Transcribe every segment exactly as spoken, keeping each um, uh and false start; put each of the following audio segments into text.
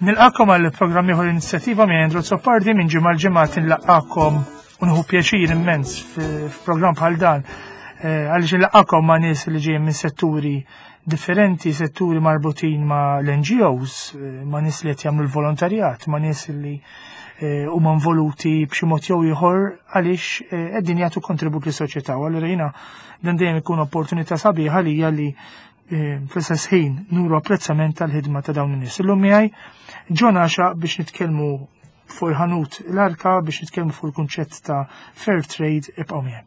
Nilqagħkom għal programm ieħor Inizjattiva minn Andrew Azzopardi. Minn ġimgħa l-ġimgħa nilqagħkom u nieħu pjaċir immens f'programm bħal dan eh, għaliex nilqagħkom ma' nies li ġejjin minn setturi differenti, setturi marbutin ma' l-N G Os, eh, ma' nies li qed jagħmlu l-volontarjat, ma' nies li eh, huma involuti b'xi mod jew ieħor għaliex qegħdin jagħtu kontribut lis-soċjetà. U allura jiena dan dejjem ikun opportunità sabiħa għalija li fl-istess ħin nuru apprezzament tal-ħidma ta' dawn in-nies. Illum miegħi John Għaxa biex nitkellmu fuq il-ħanut l-Arka, biex nitkellmu fuq il-kunċett ta' fair trade. Ibqgħu miegħi.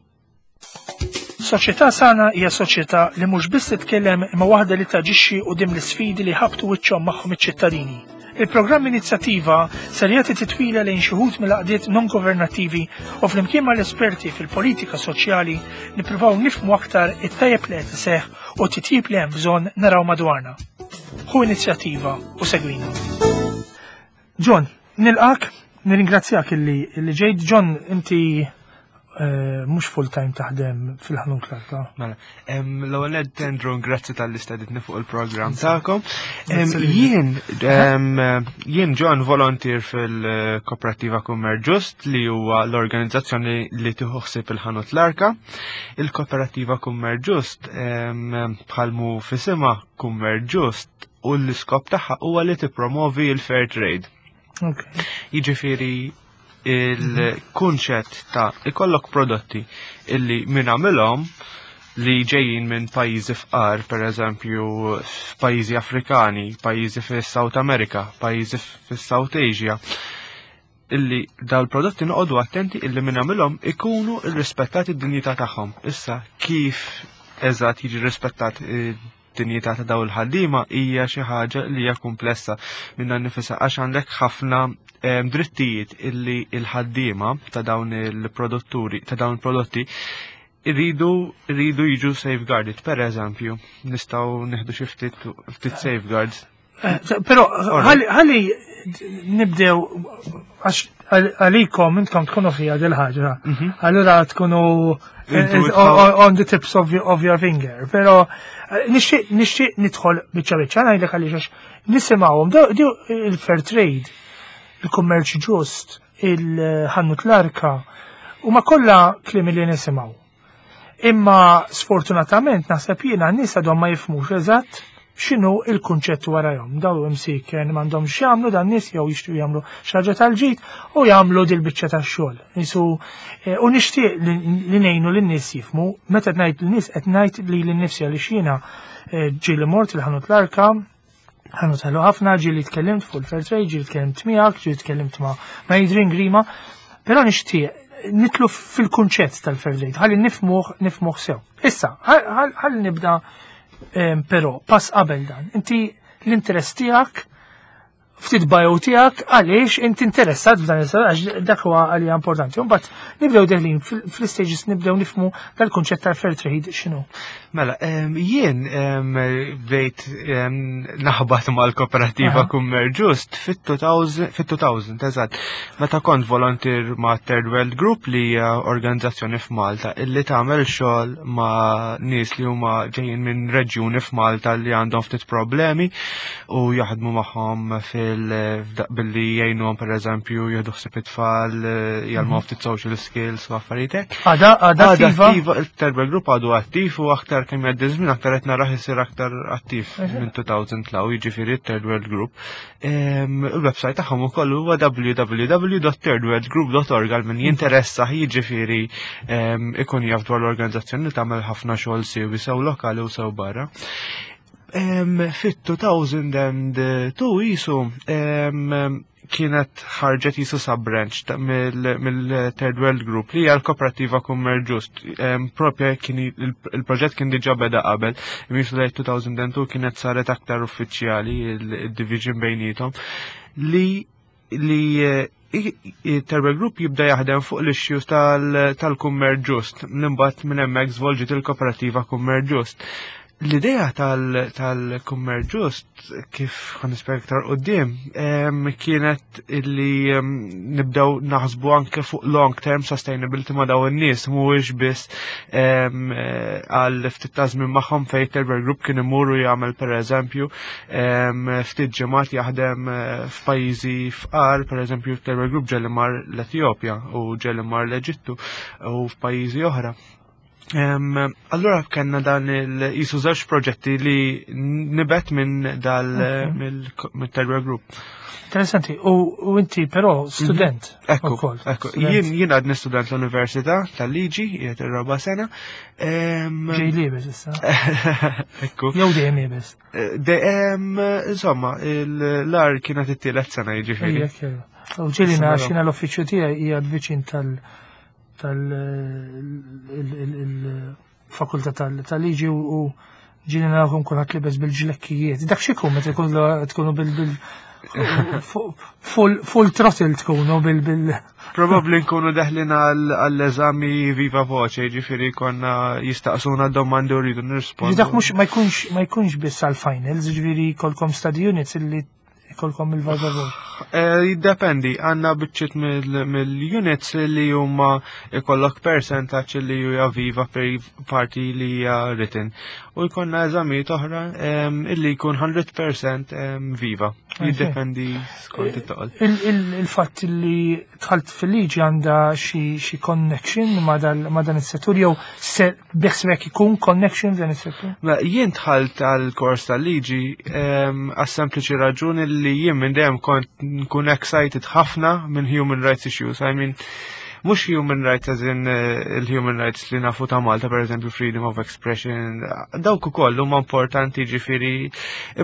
Soċjetà sana hija soċjetà li mhux biss titkellem, imma waħda li taġixxi quddiem l-isfidi li ħabtu wiċċhom magħhom iċ-ċittadini. Il-programm Inizjattiva ser jagħti titwila lejn xi wħud mill-għaqdiet non-governattivi u flimkien mal-esperti fil-politika soċjali nippruvaw nifhmu aktar it-tajjeb li qed iseħħ u titjib li hemm bżonn naraw madwarna. Ħu inizjattiva u segwina. John, nilqgħek, nirringrazzjak illi illi ġejt. John, inti eh, mhux full time taħdem fil-ħanut l-Arka. Mela, l-ewwel nett, Andrew, grazzi talli stedintni fuq il-programm tagħkom. Jien jien John, volunteer fil-Kooperativa Kummerċ Ġust, li huwa l-organizzazzjoni li tieħu ħsieb il-ħanut l-Arka. Il-Kooperativa Kummerċ Ġust, bħalma f'isimha, Kummerċ Ġust, u l-iskop tagħha huwa li tippromovi l-fair trade. Jiġifieri il-kunċett ta' ikollok prodotti illi min għamilhom li ġejjin minn pajjiżi fqar, per eżempju f'pajjiżi Afrikani, pajjiżi fis-South America, pajjiżi fis-South Asia, illi dal-prodotti noqogħdu attenti illi min għamilhom ikunu irrispettati d-dinjità tagħhom. Issa, kif eżatt jiġi rispettat id-dinjità ta' daw il-ħaddiema hija xi ħaġa li hija komplessa minnha nnifisha, għax għandek ħafna em, drittijiet illi il-ħaddiema ta' dawn il-produtturi ta' dawn il-prodotti irridu irridu jiġu safeguarded. Per eżempju, nistgħu nieħdu xi ftit ftit safeguards. Eh, Però ħalli ħalli nibdew, għax għalikom intkom tkunu fija dil-ħaġa. Allura tkunu eh, Intu eh, on on the tips of your, of your finger. Però eh, nixtieq nixtieq nidħol biċċa biċċa, ngħidlek għaliex, għax nisimgħuhom daw il-fair trade, il-kummerċ ġust, il-ħanut l-Arka, u ma kollha kliem li nisimgħu. Imma sfortunatament naħseb jiena n-nies għadhom ma jifhmux eżatt x'inhu il-kunċett warajhom. Daw imsiken m'għandhom x'jagħmlu dan nies jew jixtiequ jagħmlu xi ħaġa tal-ġid u jagħmlu dil-biċċa tax-xogħol. Isu eh, u nixtieq li li ngħinu lin-nies jifhmu. Meta ngħid lin-nies, qed ngħid li lin-nifsi, għaliex jiena eh, ġieli mort il-ħanut l-Arka, ħanut ħelu ħafna, ġieli tkellimt fuq il-fair trade, ġieli tkellimt miegħek, ġieli tkellimt ma' ma' Adrian Grima, però nixtieq nidħlu fil-kunċett tal-fair trade, ħalli nifhmuh nifhmuh sew. Issa, ħalli nibda em, però pass qabel dan. Inti l-interess tiegħek, ftit bio tiegħek, għaliex inti interessat f'dan il, għax dak huwa għalija importanti. Mbagħad nibdew deħlin fil- fl-stages, nibdew nifhmu dal-kunċett tal-fair trade x'inhu. Mela, em, jien em, bdejt em, naħbat mal-Kooperativa Aha. Kummerċ Ġust fit-elfejn, fit-elfejn, eżatt. Meta kont volunteer ma' Third World Group, li hija organizzazzjoni f'Malta illi tagħmel xogħol ma' nies li huma ġejjin minn reġjuni f'Malta li għandhom ftit problemi u jaħdmu magħhom fil billi jgħinuhom, pereżempju, jieħdu ħsieb it-tfal, jgħallmuhom ftit social skills u affarijiet hekk. Għada għada Għada attiva? Attiva, il-Third World Group għadu attiv u aktar kemm jgħaddi żmien aktar qed narah isir aktar attiv minn elfejn law, jiġifieri Third World Group. Em, Il-website tagħhom ukoll huwa w w w dot thirdworldgroup dot org għal min jinteressa, jiġifieri em, ikun jaf dwar l-organizzazzjoni li tagħmel ħafna xogħol siewi sew lokali u sew barra. Em, Fit-elfejn u tnejn jisu em, kienet ħarġet jisu sub-branch ta' mill-Third World Group li hija l-Kooperativa Kummerċ Ġust. Em, Propja kien il- il-proġett kien diġà beda qabel, jisu lejn elfejn u tnejn kienet saret aktar uffiċjali il-division bejnietom li li eh, i- i- Third World Group jibda jaħdem fuq l-issues tal-kummerċ ġust. Imbagħad minn hemmhekk żvolġiet il-Kooperativa Kummerċ Ġust. L-idea tal-kummerċ ġust, kif ħa nispjega iktar quddiem, kienet illi nibdew naħsbu anke fuq long term sustainability ma' daw in-nies, mhuwiex biss għal ftit ta' żmien magħhom, fejn Terber Group kien imuru jagħmel, pereżempju, ftit ġimgħat jaħdem eh, f'pajjiżi fqar. Pereżempju, Terber Group ġieli mar l-Etjopja u ġieli mar l-Eġittu u f'pajjiżi oħra. Allura kellna dan il-jisu żewġ proġetti li nibet minn dal mill-Terber Group. Interessanti, u inti però student. Mhm. Ekku, ekku. Jien jien għadni student l-Università tal-Liġi, qiegħed ir-raba' sena. Ġej liebes issa. Ekku. Jew dejjem liebes. Eh, insomma, l-ar kienet it-tielet sena, jiġifieri. U ġieli xina l-uffiċċju tiegħi hija viċin tal- tal-fakultà tal-liġi u ġieli narawhom kulħadd libes bil-ġlekkijiet. Dak x'ikun meta tkunu bil bil full throttle tkunu bil bil Probabli nkunu deħlin għall-eżami viva voce, ġifieri konna jistaqsuna domandi u rridu nirrispondu. Dak mhux ma jkunx ma jkunx biss għal-finals, ġifieri jkollkom study units illi jkollkom il-viva voce. Eh, jiddependi, għandna biċċiet mill-units li huma ikollok percentaġġ li hija viva per parti li hija written. U jkollna eżamijiet oħra illi jkun mija fil-mija viva. Jiddependi skont it-toqol. Il-fatt li dħalt fil-liġi għandha xi connection ma dan is-settur jew se beħsbek ikun connection f'dan is-settur? Jien dħalt għal-kors tal-liġi għas-sempliċi raġuni li jien minn dejjem kont nkun excited ħafna minn human rights issues. I mean, mhux human rights as in eh, il-human rights li nafu ta' Malta, per eżempju, freedom of expression, dawk ukoll huma importanti, ġifieri,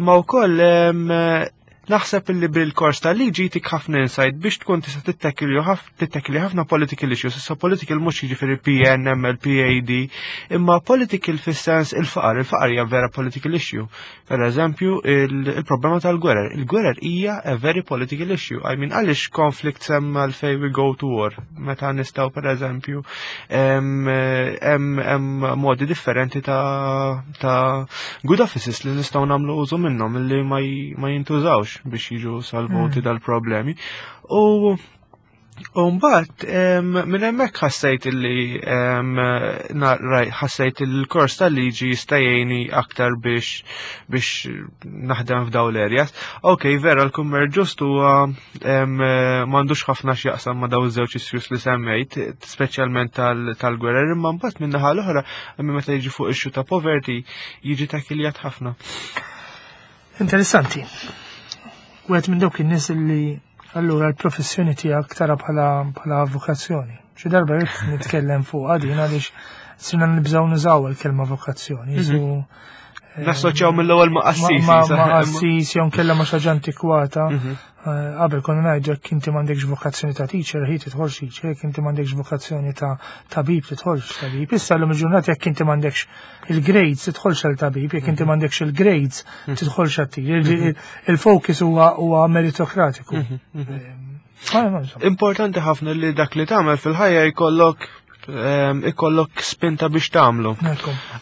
imma wkoll naħseb illi bil-kors tal-liġi tik ħafna insight biex tkun tista' tittekli ħafna political issues. Issa political mhux jiġifieri P N, M L, P A D, imma political fis-sens il-faqar. Il-faqar hija vera political issue. Per eżempju, il-problema tal-gwerer. Il-gwerer hija a very political issue. I mean, għaliex conflict hemm, għalfejn we go to war? Meta nistgħu, per eżempju, hemm modi differenti ta' ta' good offices li nistgħu nagħmlu użu minnhom li ma jintużawx biex jiġu salvuti mm. dal-problemi. U mbagħad minn hemmhekk ħassejt illi ħassejt il-kors tal-liġi jista' jgħinni aktar biex biex naħdem f'daw l-areas. Ok, vera l-kummerċ ġust huwa m'għandux ħafna x'jaqsam ma' daw iż-żewġ issues li semmejt, speċjalment tal-gwerer, imma mbagħad minn naħa l-oħra, meta jiġi fuq issue ta' poverty, jiġi takiljat ħafna. Interessanti. Wieħed minn dawk in-nies li allura l-professjoni tiegħek tara bħala bħala vokazzjoni. Xi darba rrid nitkellem fuq għadin għaliex sirna nibżgħu nużaw il-kelma vokazzjoni. Mhm. Nassoċjaw mill-ewwel ma' qassis. Ma' qassis jew nkella ma' xi ħaġa antikwata. Mhm. Eh, qabel konna ngħidu jekk inti m'għandekx vokazzjoni ta' teacher, ħi tidħolx teacher, jekk inti m'għandekx vokazzjoni ta' tabib, tidħolx tabib. Issa llum il-ġurnata jekk inti m'għandekx il-grades tidħolx għal tabib, jekk inti mhm. m'għandekx il-grades mhm. tidħolx għal teacher. Il-focus huwa huwa meritokratiku. Eh, Importanti ħafna li dak li tagħmel fil-ħajja jkollok ikollok spinta biex tagħmlu.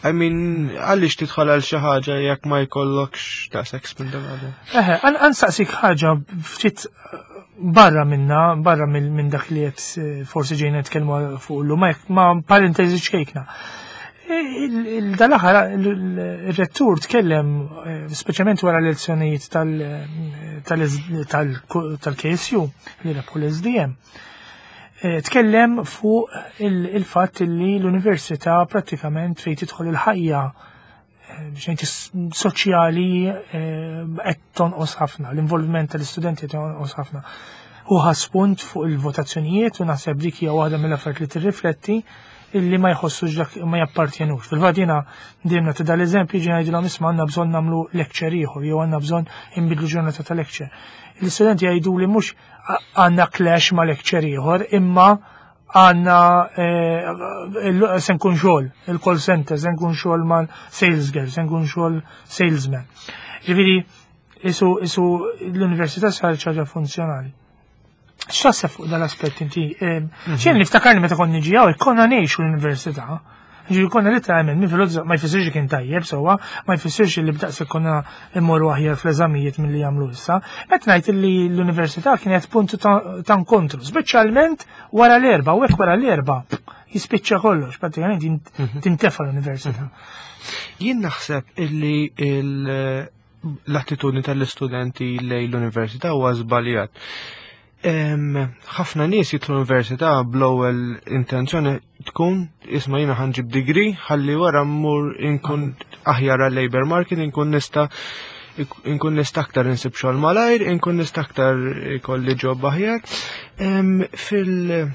I mean, għaliex tidħol għal xi ħaġa jekk ma jkollokx daqshekk spinta għadu? Eħe, ħa nsaqsik ħaġa ftit barra minna, barra minn dak li qed eh, forsi ġejna nitkellmu fuq llum, ma parentesi ċkejkna. Dal-aħħar il-rettur tkellem, eh, speċjalment wara l-elezzjonijiet tal-K S U li rebħu l-S D M, eh, tkellem fuq il-fatt li l-università prattikament fejn tidħol il-ħajja eh, biex soċjali qed tonqos ħafna, l-involviment tal-istudenti qed tonqos ħafna. U ħa spunt fuq il-votazzjonijiet u naħseb dik hija waħda mill-affarijiet li tirrifletti illi ma jħossux dak ma jappartjenux. Fil-fatt jiena dejjem nagħti dal-eżempju, ġi ngħidilhom, "Isma', għandna bżonn nagħmlu lecture ieħor jew għandna bżonn inbidlu ġurnata ta' lecture." L-istudenti jgħidu li mhux għandna clash ma' lecture ieħor, imma għandna eh, se nkun xogħol il-call center, se nkun xogħol ma' sales girl, se nkun xogħol salesman. Ġifieri isu isu l-università sar ħaġa funzjonali. X'taħseb fuq dal-aspett inti? Xejn niftakarni meta konni niġi hawn, konna ngħixu l-università. Ġifieri konna literalment minn filgħodu, ma jfissirx li kien tajjeb sewwa, ma jfissirx li b'daqs konna immorru aħjar fl-eżamijiet milli jagħmlu issa. Qed ngħid li l-università kienet punt ta' ta' inkontru, speċjalment wara l-erba, u hekk wara l-erba jispiċċa kollox, pratikament jint- tintefa l-università. Jien naħseb illi il- l-attitudni tal-istudenti lejn l-università huwa żbaljat. Em, ħafna nies jidħlu l-università bl-ewwel intenzjoni tkun isma' jiena ħa nġib degree ħalli wara mmur inkun aħjar għal labor market, inkun nista' inkun nista' aktar insib xogħol malajr, inkun nista' aktar ikolli job aħjar. Em, Fil-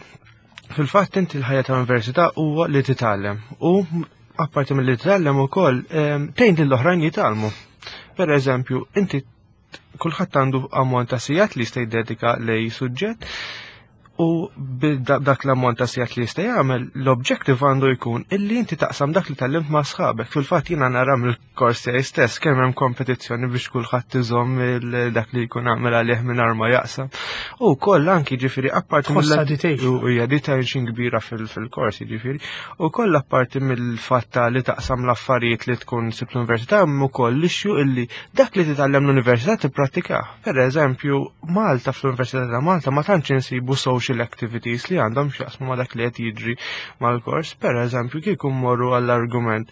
Fil-fatt inti l-ħajja tal-università huwa li titgħallem u apparti mill-li titgħallem ukoll em, tgħin lill-oħrajn jitgħallmu. Per eżempju, inti kulħadd għandu ammont ta' sigħat li jista' jiddedika lej suġġett u b'dak l-ammont ta' sigħat li jista' jagħmel, l-objective għandu jkun illi inti taqsam dak li tgħallimt ma' sħabek. Fil-fatt jiena nara mill-kors tiegħi stess kemm hemm kompetizzjoni biex kulħadd iżomm il- dak li jkun għamel għalih mingħajr ma jaqsam. U koll anki ġifieri apparti Tħossha mill- dedication. u hija detention kbira fil- fil-kors ġifieri. U koll apparti mill-fatt ta' li taqsam l-affarijiet li tkun sib l-università hemm ukoll l-issue illi dak li titgħallem l-università tipprattikah. Per eżempju, Malta, fl-Università ta' Malta ma tantx insibu social activities li għandhom x'jaqsmu ma dak li qed jiġri mal-kors. Per eżempju, kieku mmorru għall-argument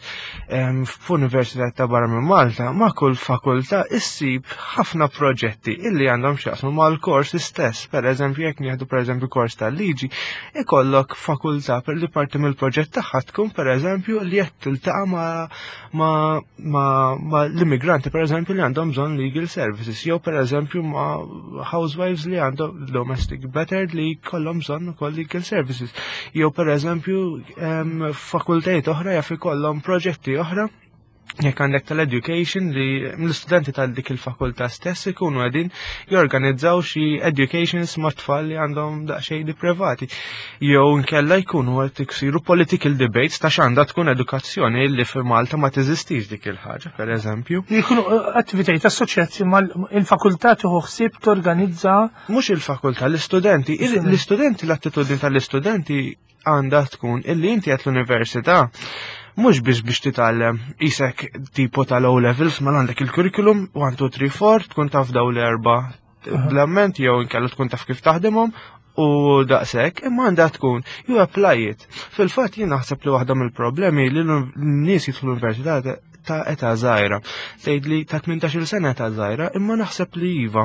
em, f'università ta' barra minn Malta, ma' kull fakultà issib ħafna proġetti illi għandhom x'jaqsmu mal-kors istess. Per eżempju, jekk nieħdu per eżempju kors tal-liġi, ikollok fakultà per li parti mill-proġett tagħha tkun per eżempju li qed tiltaqa' ma' ma' ma' ma' l-immigranti per eżempju li għandhom bżonn legal services, jew per eżempju ma' housewives li għandhom domestic battered li jkollhom bżonn ukoll legal services, jew per eżempju em, fakultajiet oħra jaf ikollhom proġetti oħra, jekk għandek tal-education li l-istudenti tal dik il-fakultà stess ikunu qegħdin jorganizzaw xi educations ma' tfal li għandhom daqsxejn deprivati. Jew nkella jkunu qed isiru political debates ta' x'għandha tkun edukazzjoni, li fi Malta ma teżistix dik il-ħaġa, per eżempju. Li jkunu eh, attivitajiet assoċjati mal-fakultà tieħu ħsieb torganizza. Mhux il-fakultà, l-istudenti. Il- L-istudenti, l-attitudni tal-istudenti għandha tkun illi inti qed l-università mhux biex biex titgħallem isek tipo tal-O levels, ma għandek il-curriculum one, two, three, four, tkun taf daw l-erba bl-amment jew inkella tkun taf kif taħdimhom u daqshekk, imma għandha tkun you apply it. Fil-fatt jien naħseb li waħda mill-problemi li l-nies jidħlu l-università ta' età żgħira. Tgħid li ta' tmintax-il sena età żgħira, imma naħseb li iva.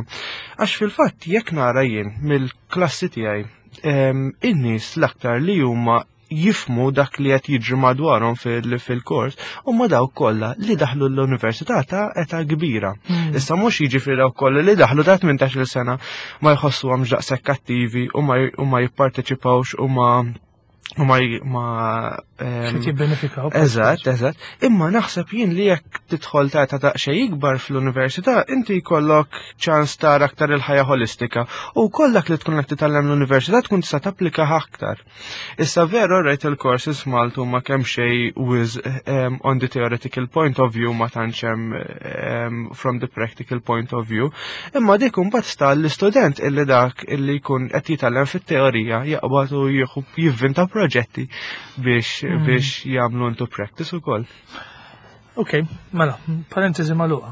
Għax fil-fatt jekk nara jien mill-klassi tiegħi em, in-nies l-aktar li huma jifmu dak li qed jiġri madwarhom fil- fil-kors huma dawk kollha li daħlu l-università ta' età kbira. Issa mhux jiġifieri dawk kollha li daħlu ta' tmintax-il sena ma jħossuhomx daqshekk attivi u ma u ma jipparteċipawx u ma u ma ma em, Xi jibbenefikaw. Eżatt, eżatt. Imma naħseb jien li jekk tidħol ta' ta' daqsxejn ikbar fl-università, inti jkollok ċans tara aktar il-ħajja holistika u kollok li tkun qed titgħallem l-università tkun tista' tapplika aktar. Issa veru rajt il-courses f'Malta huma kemm xejn with um, on the theoretical point of view, ma tantx hemm um, from the practical point of view. Imma dik imbagħad sta l-istudent illi dak illi jkun qed jitgħallem fit-teorija jaqbad u jieħu jivvinta proġetti biex Mm. biex jagħmlu into practice ukoll. Ok, mela, parentesi magħluqa.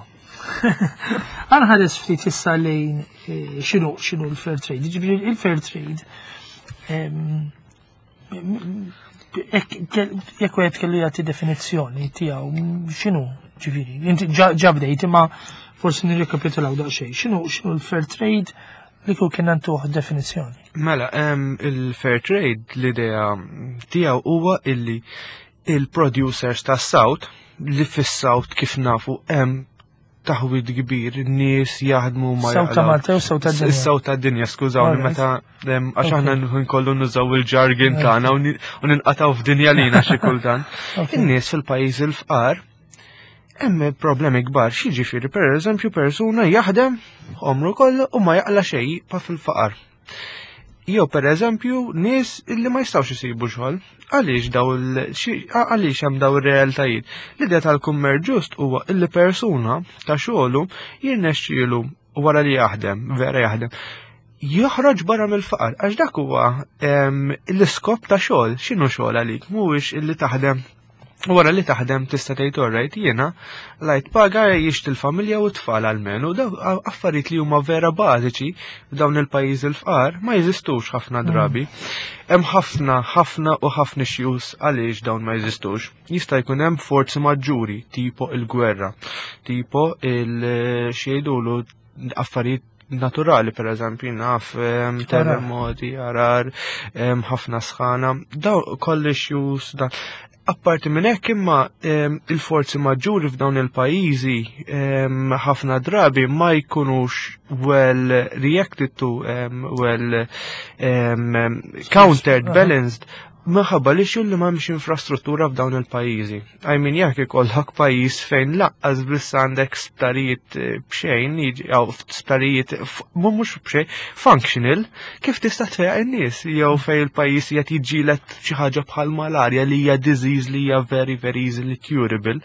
Ħa nħares ftit issa lejn eh, x'inhu x'inhu l-fair trade. Ġifieri il-fair trade em, jekk jekk wieħed kellu jagħti definizzjoni tiegħu, x'inhu ġifieri? Inti ġa ġa bdejt, imma forsi nirrekapitulaw daqsxejn. X'inhu x'inhu l-fair trade li kieku kien ntuh definizzjoni? Mela, em, il-fair trade l-idea tiegħu huwa illi il-producers tas South, li fis-South kif nafu hemm taħwid kbir, n-nies jaħdmu ma South ta' jaqlaw. Malta u South ta' dinja. Is-South ta' dinja, skużawni, Alright. meta em, għax aħna Okay. nkollu nużaw il-jargon tagħna u ni- u ninqataw f'dinja lina xi kultant. Okay. In-nies fil-pajjiż il-fqar hemm problemi kbar, x'jiġifieri per eżempju persuna jaħdem għomru kollu u ma jaqla xejn pa fil-faqar. Jew per eżempju nies illi ma jistgħux isibu xogħol. Għaliex daw il- xi- għaliex hemm daw ir-realtajiet? L-idea tal-kummerċ ġust huwa illi persuna ta' xogħlu jirnexxielu wara li jaħdem, vera jaħdem, joħroġ barra mill-faqar, għax dak huwa em, l-iskop ta' xogħol. X'inhu xogħol għalik? Mhuwiex illi taħdem Wara li taħdem tista' tgħid, "Alright, jiena lajt paga jixti l-familja u t-tfal almenu." Daw affarijiet li huma vera bażiċi f'dawn il-pajjiżi l-fqar ma jeżistux ħafna drabi. Hemm ħafna, ħafna u ħafna issues għaliex dawn ma jeżistux. Jista' jkun hemm forzi maġġuri, tipo il-gwerra, tipo il xejdulu affarijiet naturali, per eżempju, naf em, terremoti, għargħar, em, ħafna sħana, daw koll issues da. Apparti minn hekk imma em, il-forzi maġġuri f'dawn il-pajjiżi em, ħafna drabi ma jkunux well reacted to, em, well em, countered, Aha. balanced, minħabba li xul li m'hemmx infrastruttura f'dawn il-pajjiżi. I mean, jekk ikollok pajjiż fejn lanqas biss għandek sptarijiet eh, b'xejn, jiġi- jew sptarijiet f- mu mhux b'xejn, functional, kif tista' tfejjaq in-nies? Jew fejn il-pajjiż qed jiġġieled xi ħaġa bħal malarja li hija disease li hija very, very easily curable.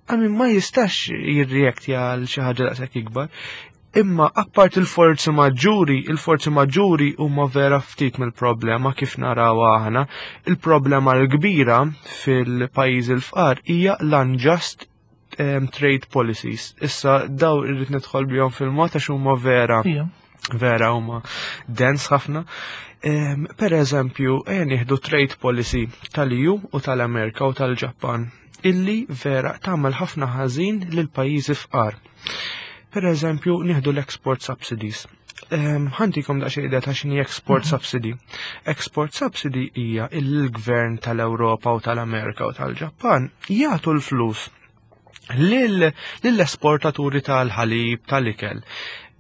I mean, ma jistax jirreact għal xi ħaġa daqshekk ikbar. Imma appart il-forzi maġġuri, il-forzi maġġuri huma vera ftit mill-problema kif naraw aħna. Il-problema l-kbira fil-pajjiżi l-fqar hija l-unjust um, trade policies. Issa daw irrid nidħol bihom fil-mod għax huma vera Ija. vera huma dense ħafna. Um, per eżempju, ejja nieħdu trade policy tal-E U u tal-Amerika u tal-Ġappan illi vera tagħmel ħafna ħażin lil pajjiżi fqar. Per eżempju, nieħdu l-export subsidies. Um, Ħa ntikom daqsxejn idea ta' x'inhi export subsidy. Export subsidy hija il-gvern tal-Ewropa u tal-Amerika u tal-Ġappan jagħtu l-flus lill-esportaturi tal-ħalib, tal-ikel,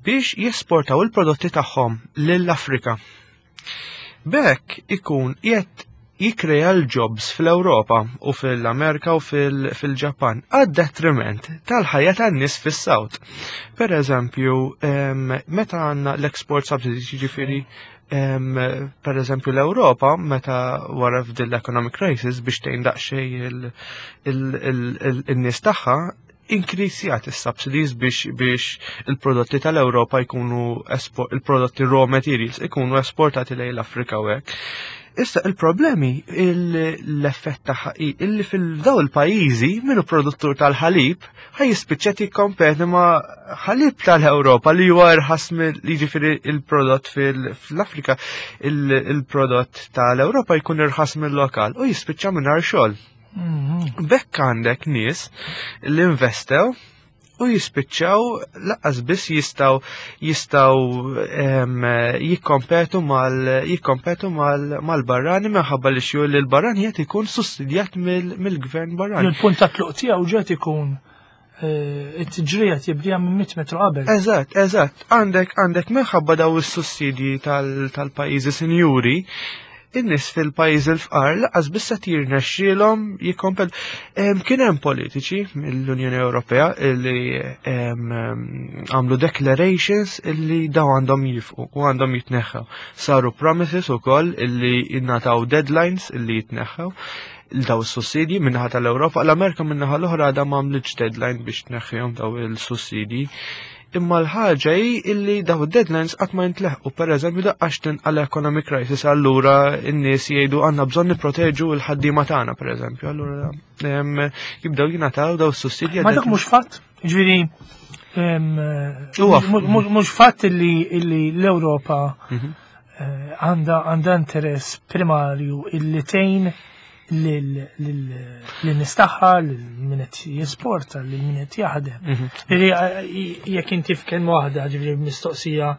biex jesportaw il-prodotti tagħhom lill-Afrika. B'hekk ikun qed jikrea l-jobs fl-Ewropa u fil-Amerika u fil-Ġapan għad detriment tal-ħajja tan-nies fis-South. Per eżempju, meta għandna l-export subsidies, jiġifieri per eżempju l-Ewropa meta wara f'din l-economic crisis biex tgħin daqsxejn il-nies tagħha inkrisjat is-subsidies biex biex il-prodotti tal-Ewropa jkunu il-prodotti raw materials ikunu esportati lejn l-Afrika u hekk. Issa il-problemi l-effett tagħha illi fil-daw il-pajjiżi minnu produttur tal-ħalib ħaj jispiċċa jikkompeti ma' ħalib tal-Ewropa li huwa irħas mill jiġifieri il-prodott fil-Afrika, il-prodott tal-Ewropa jkun irħas mill-lokal u jispiċċa mingħajr xogħol. Mhm. B'hekk għandek nies li investew u jispiċċaw lanqas biss jistgħu jistgħu jikkompetu mal jikkompetu mal-barrani minħabba li xju li l-barrani qed ikun sussidjat mill-gvern barrani. Il-punt ta' tluq tiegħu ġiet ikun eh, it-tiġrija tibdija minn mitt metru qabel. Eżatt, eżatt. Għandek għandek minħabba daw is-sussidji tal-pajjiżi sinjuri, in-nies fil-pajjiż il-fqar lanqas biss qed jirnexxielhom jikkompet. Kien hemm politiċi mill-Unjoni Ewropea li għamlu declarations illi daw għandhom jifqu u għandhom jitneħħew. Saru promises ukoll illi jingħataw deadlines illi jitneħħew daw is-sussidji minnaħa tal-Ewropa. L-Amerika minnaħa l-oħra għadha m'għamlitx deadline biex tneħħihom daw il-sussidji. Imma l-ħaġa hi illi daw deadlines qatt ma jintleħqu. Per eżempju, daqqax tinqala economic crisis, allura n-nies jgħidu għandna bżonn nipproteġu l-ħaddiema tagħna, per eżempju. Allura jibdew jingħataw daw is-sussidji. Ma dak mhux fatt, ġifieri mhux fatt illi l-Ewropa mhm. eh, għandha għandha interess primarju illi tgħin lin-nies tagħha, lil min qed jesporta, lil min qed jaħdem. Mhm. Jekk inti f'kelma waħda, ġifieri mistoqsija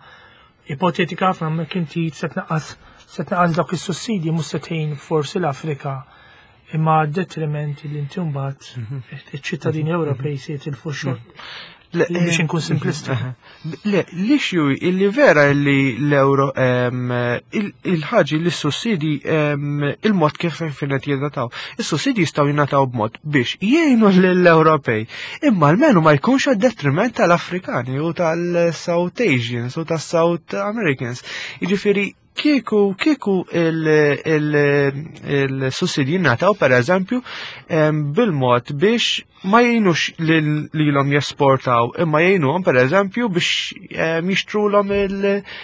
ipotetika ħafna, ma inti se tnaqqas se tnaqqas dawk is-sussidji, mhux se tgħin forsi l-Afrika imma detriment li inti mbagħad mhm. iċ-ċittadini Ewropej se jitilfu xogħol. Biex inkun simplista. Le, l-issue illi vera illi l-euro il-ħaġi li s-sussidi il-mod kif finet jingħataw. Is-sussidi jistgħu jingħataw b'mod biex jgħinu l-Ewropej. Imma almenu ma jkunx għad detriment tal-Afrikani u tal-South Asians u tal-South Americans. Jiġifieri kieku kieku il-sussidji jingħataw per eżempju bil-mod biex Ma jgħinux lilhom jesportaw, imma jgħinuhom, per eżempju, biex jixtrulhom il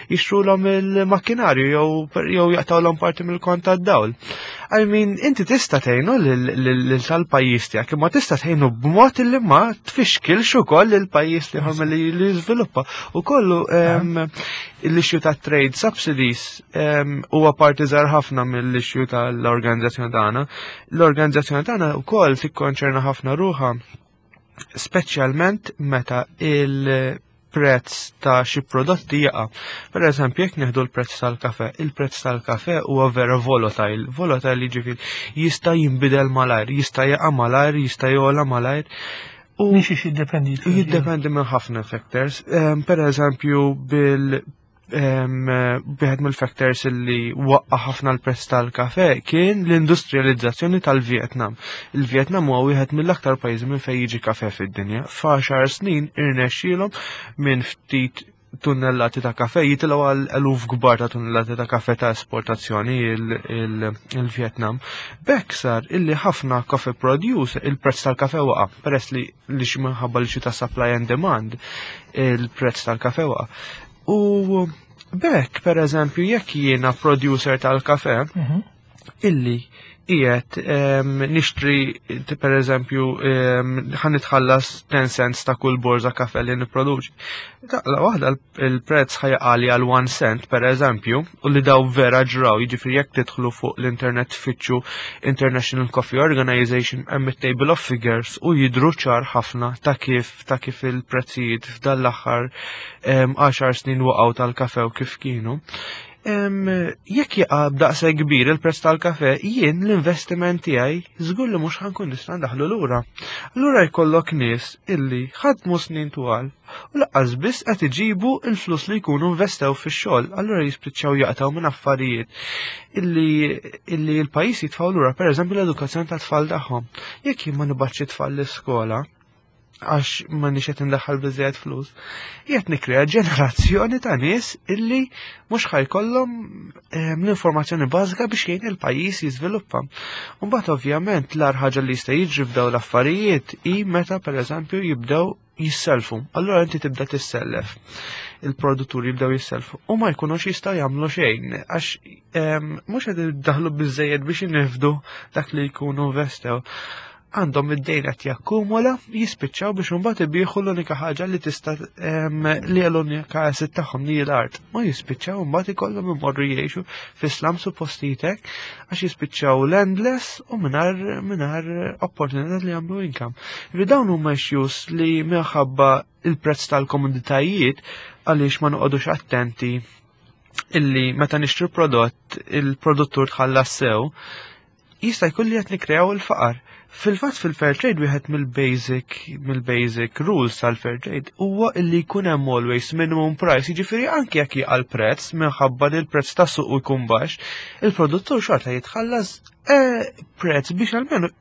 jixtrulhom il-makkinarju jew jew jaqtawlhom parti mill-kont tad-dawl. I mean, inti tista' tgħinu lil tal-pajjiż tiegħek, imma tista' tgħinu b'mod li ma tfixkilx ukoll il-pajjiż li li li jiżviluppa. U kollu l-issue ta' trade subsidies huwa parti żgħar ħafna mill-issue tal-organizzazzjoni tagħna. L-organizzazzjoni tagħna wkoll tikkonċerna ħafna ruħha, speċjalment meta il- prezz ta' xi prodotti jaqa'. Per eżempju, jekk nieħdu l-prezz tal-kafe, il-prezz tal-kafe huwa vera volatile. Volatile jiġifieri jista' jinbidel malajr, jista' jaqa' malajr, jista' jogħla malajr. U minn xiex jiddependi? Jiddependi minn ħafna factors. Per eżempju, bil wieħed mill-factors li waqqa ħafna l-prezz tal-kafe kien l-industrializzazzjoni tal-Vietnam. Il-Vietnam huwa wieħed mill-aktar pajjiżi minn fejn jiġi kafe fid-dinja. F'għaxar snin irnexxielhom minn ftit tunnellati ta' kafe jitilgħu għal eluf kbar ta' tunnellati ta' kafe ta' esportazzjoni il-Vietnam. B'hekk sar illi ħafna coffee produce, il-prezz tal-kafe waqa', peress li li xi minħabba li xi ta' supply and demand, il-prezz tal-kafe waqa'. U b'hekk, per eżempju, jekk jiena producer tal-kafe, mhm. illi qiegħed nixtri, per eżempju, ħa nitħallas ten cents ta' kull borza kafe li nipproduċi. Daqqa waħda il-prezz ħa jaqagħli għal one cent, per eżempju, u li daw vera ġraw, jiġifieri jekk tidħlu fuq l-internet, tfittxu International Coffee Organization, hemm table of figures u jidru ċar ħafna ta' kif ta' kif il-prezzijiet f'dan l-aħħar għaxar snin waqgħu tal-kafe u kif kienu. Jekk jaqa' b'daqsa kbir il-prezz tal-kafe, jien l-investiment tiegħi żgur li mhux ħa nkun nista' ndaħlu lura. Allura jkollok nies illi ħadmu snin twal u lanqas biss qed iġibu il-flus li jkunu investew fix-xogħol, allura jispiċċaw jaqtaw minn affarijiet illi illi l-pajjiż jitfgħu lura, pereżempju l-edukazzjoni tat-tfal tagħhom. Jekk jien ma nibgħatx it-tfal l-iskola, għax ma nix qed indaħħal biżejjed flus, qiegħed nikkrea ġenerazzjoni ta' nies illi mhux ħa jkollhom ehm, l-informazzjoni bażika biex jgħin il-pajjiż jiżviluppa. Mbagħad, ovvjament, l ħaġa li jista' jiġri f'daw l-affarijiet hi meta, pereżempju, jibdew jisselfu. Allura inti tibda tissellef. Il-produtturi jibdew jisselfu u ma jkunux jistgħu jagħmlu xejn għax ehm, mhux qed iddaħlu biżejjed biex jinifdu dak li jkunu investew. Għandhom id-dejn qed jakkumula, jispiċċaw biex imbagħad ibieħu l-unika ħaġa li tista' li l-unika asset tagħhom, li l-art. Ma jispiċċaw imbagħad ikollhom imorru jgħixu fi slums u postijiet għax jispiċċaw landless u mingħajr mingħajr opportunità li jagħmlu income. Ġifieri dawn huma issues li minħabba il-prezz tal-komoditajiet, għaliex ma noqogħdux attenti illi meta nixtru prodott il-produttur tħallas sew, jista' jkun li qed nikkreaw il-faqar. Fil-fatt, fil-fair trade, wieħed mill-basic mill-basic rules tal-fair trade huwa illi jkun hemm always minimum price, jiġifieri anke jekk jaqa' l-prezz minħabba li l-prezz tas suq jkun baxx, il-produttur xorta jitħallas eh, prezz biex almenu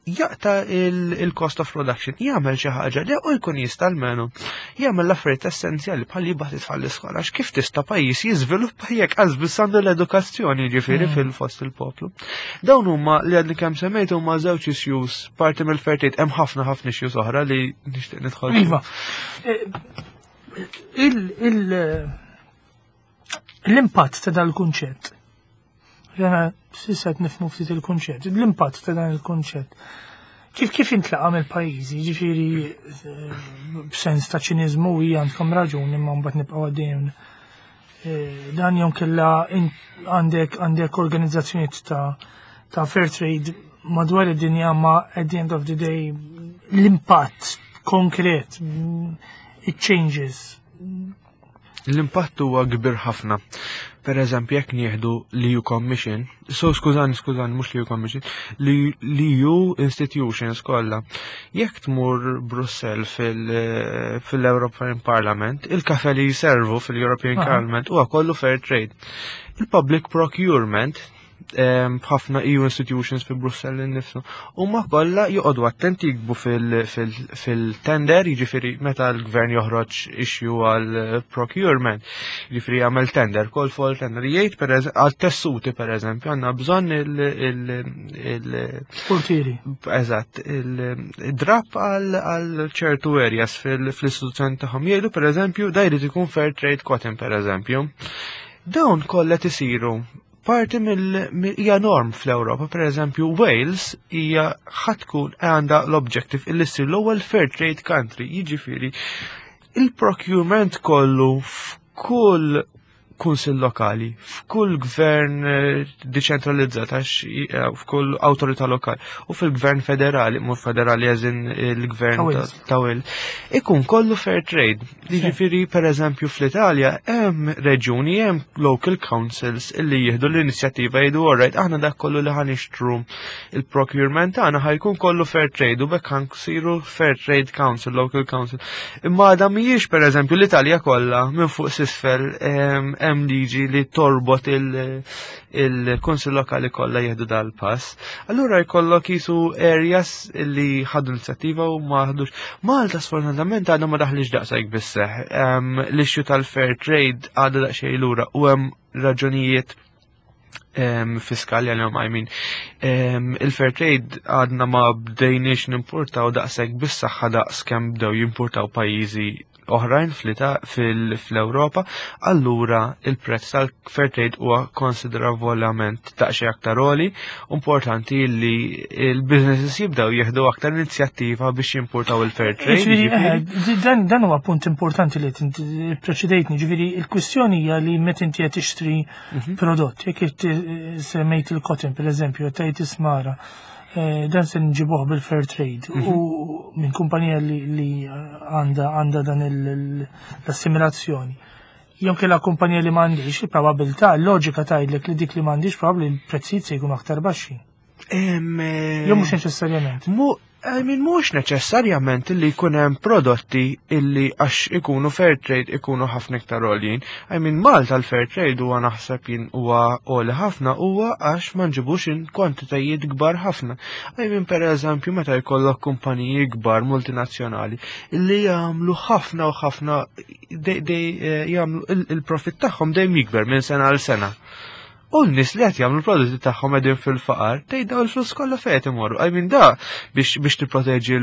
jaqta il-cost of production, jagħmel xi ħaġa li u jkun jista' almenu jagħmel l-affarijiet essenzjali bħal jibgħat it-tfal l-iskola, għax kif tista' pajjiż jiżviluppa jekk qas biss għandu l-edukazzjoni, ġifieri, mm. fil-fost il-poplu? Dawn huma li għadni kemm semmejt huma żewġ issues parti mill-fair trade, hemm ħafna ħafna issues oħra li nixtieq nidħol. Iva. Eh, l-impatt ta' dal-kunċett. Jena s'issa nifhmu ftit il-kunċett. L-impatt ta' dan il-kunċett. Kif kif intlaqa mill-pajjiżi, ġifieri eh, b'sens ta' ċiniżmu, hija għandkom raġun imma mbagħad nibqgħu għaddejjin. Eh, dan jom kella għandek għandek organizzazzjonijiet ta' ta' fair trade madwar id-dinja, ma at the end of the day l-impatt konkret, it changes. L-impatt huwa kbir ħafna. Per eżempju, jekk nieħdu l-E U Commission, so skużani, skużani, mhux l-E U Commission, l-E U institutions kollha. Jekk tmur Brussell fil-European Parliament, il-kafe li jiservu fil-European Parliament huwa kollu fair trade. Il-public procurement Ħafna E U institutions fi Brussell innifsu. Huma kollha joqogħdu attenti jiktbu fil-tender, jiġifieri meta l-gvern joħroġ issue għal procurement, jiġifieri jagħmel tender, call for tender, jgħid per għal tessuti, per eżempju, għandna bżonn il- Portieri. Eżatt, il-drap għal ċertu areas fil-istituzzjoni tagħhom, jgħidu, per eżempju, da jrid ikun fair trade cotton, per eżempju. Dawn kollha tisiru parti mill hija norm fl-Ewropa. Per eżempju, Wales hija ħa tkun għandha l-objective illi ssir l-ewwel fair trade country, jiġifieri il-procurement kollu f'kull kunsill lokali, f'kull gvern eh, deċentralizzat, għax eh, f'kull awtorità lokali u fil-gvern federali, mhux federali eżin il-gvern ta' Wales, ikun kollu fair trade. Jiġifieri, per eżempju, fl-Italja hemm reġuni, hemm local councils illi jieħdu l-inizjattiva, jgħidu, "Alright, aħna dak kollu li ħa nixtru, il-procurement tagħna ħa jkun kollu fair trade," u bekk ħa nsiru fair trade council, local council. Imma għadha mhijiex, per eżempju, l-Italja kollha minn fuq s'isfel hemm liġi li torbot il-kunsill lokali kollha jieħdu dal-pass. Allura jkollok jisu areas li ħadu inizjattiva u ma ħadux. Malta sfortunatament għadha ma daħlix daqshekk bis-seħ. L-issue tal-fair trade għadha daqsxejn lura u hemm raġunijiet fiskali għal, I mean, il-fair trade għadna ma bdejniex nimportaw daqshekk bis-saħħa daqs kemm bdew jimportaw pajjiżi oħrajn fl-Ewropa, allura il-prezz tal-fair trade huwa konsiderevolament daqsxejn aktar għoli. Importanti li il-businesses jibdew jieħdu aktar inizjattiva biex jimportaw il-fair trade. Eh, dan dan huwa punt importanti li preċedejtni, ġifieri il-kwistjoni hija li meta inti qed tixtri mhm. prodott, jekk semmejt il-cotton, per eżempju, tajt ismara, eh, dan se nġibuh bil-fair trade mhm. u minn kumpanija li għandha għandha dan l-assimilazzjoni. Jew kella kumpanija li m'għandix, il-probabilità, l-loġika tgħidlek li dik li m'għandix probabbli l-prezzijiet se jkunu aktar baxxi. Jew mhux neċessarjament. I mean, mhux neċessarjament li jkun hemm prodotti illi għax ikunu fair trade ikunu ħafna iktar għoljin. I mean, Malta l-fair trade huwa, naħseb jien, huwa għoli ħafna huwa għax ma nġibux in kwantitajiet kbar ħafna. I mean, per eżempju, meta jkollok kumpaniji kbar multinazzjonali illi jagħmlu ħafna u ħafna, eh, jagħmlu il-profit tagħhom dejjem jikber minn sena għal sena. U n-nies li qed jagħmlu prodotti tagħhom qegħdin fil-faqar, tgħid daw il-flus kollha fejn imorru? I mean, da biex biex tipproteġi